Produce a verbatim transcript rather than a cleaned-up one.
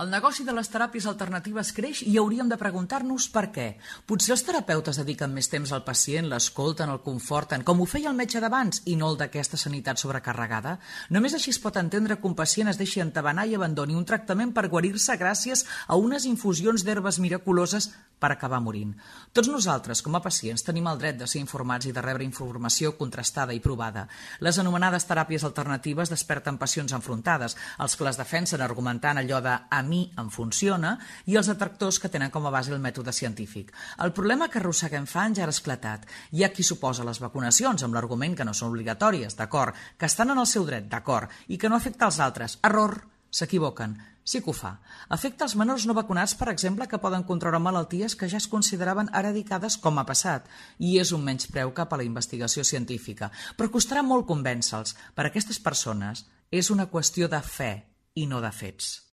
El negoci de les teràpies alternatives creix i hauríem de preguntar-nos per què. Potser els terapeutes dediquen més temps al pacient, l'escolten, el conforten, com ho feia el metge d'abans i no el d'aquesta sanitat sobrecarregada? Només així es pot entendre que un pacient es deixi entabanar i abandoni un tractament per guarir-se gràcies a unes infusions d'herbes miraculoses per acabar morint. Tots nosaltres, com a pacients, tenim el dret de ser informats i de rebre informació contrastada i provada. Les anomenades teràpies alternatives desperten passions enfrontades, els que les defensen argumentant allò de a mi em funciona i els detractors que tenen com a base el mètode científic. El problema que arrosseguem fa anys ja ha esclatat. Hi ha qui s'oposa a les vacunacions amb l'argument que no són obligatòries, d'acord, que estan en el seu dret, d'acord, i que no afecta als altres. Error! S'equivoquen. Sí que ho fa. Afecta els menors no vacunats, per exemple, que poden contraure malalties que ja es consideraven eradicades com ha passat. I és un menyspreu cap a la investigació científica. Però costarà molt convèncer-los. Per a aquestes persones és una qüestió de fe i no de fets.